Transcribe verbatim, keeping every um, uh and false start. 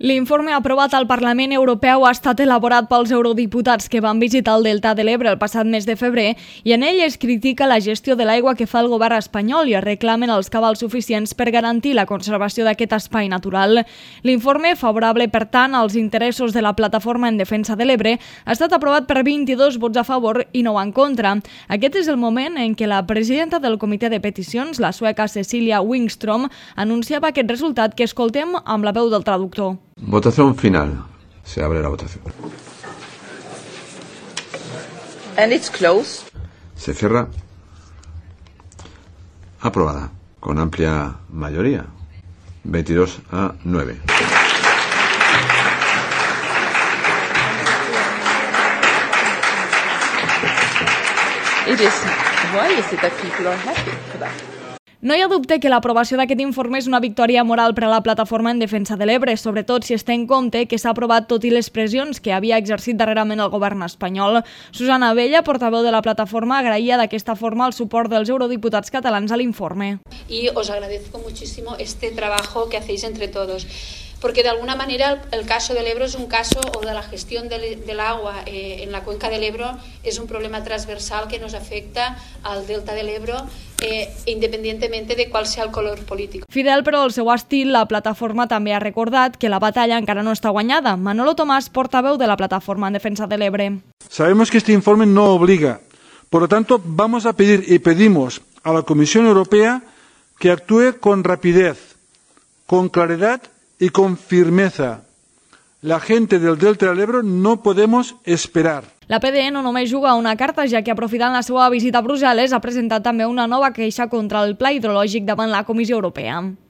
L'informe aprovat al Parlament Europeu ha estat elaborat pels eurodiputats que van visitar el Delta de l'Ebre el passat mes de febrer i en ell es critica la gestió de l'aigua que fa el govern espanyol i es reclamen els cabals suficients per garantir la conservació d'aquest espai natural. L'informe, favorable per tant als interessos de la Plataforma en Defensa de l'Ebre, ha estat aprovat per vint-i-dos vots a favor i nou en contra. Aquest és el moment en què la presidenta del Comitè de Peticions, la sueca Cecilia Wikström, anunciava aquest resultat que escoltem amb la veu del traductor. Votación final. Se abre la votación. And it's closed. Se cierra. Aprobada. Con amplia mayoría. veintidós a nueve. It is. Why is it that people are happy for that? No hi ha dubte que l'aprovació d'aquest informe és una victòria moral per a la Plataforma en Defensa de l'Ebre, sobretot si es té en compte que s'ha aprovat tot i les pressions que havia exercit darrerament el govern espanyol. Susana Abella, portaveu de la Plataforma, agraïa d'aquesta forma el suport dels eurodiputats catalans a l'informe. Y os agradezco muchísimo este trabajo que hacéis entre todos. Porque de alguna manera el, el caso del Ebro es un caso, o de la gestión del, del agua eh, en la cuenca del Ebro, es un problema transversal que nos afecta al delta del Ebro, eh, independientemente de cuál sea el color político. Fidel, però al seu estil, la plataforma també ha recordat que la batalla encara no està guanyada. Manolo Tomàs, portaveu de la Plataforma en Defensa de l'Ebre. Sabemos que este informe no obliga. Por lo tanto, vamos a pedir y pedimos a la Comisión Europea que actúe con rapidez, con claridad y con firmeza. La gente del Delta del Ebro no podemos esperar. La P D E no només juga una carta, ja que aprofitant la seva visita a Brussel·les ha presentat també una nova queixa contra el pla hidrològic davant la Comissió Europea.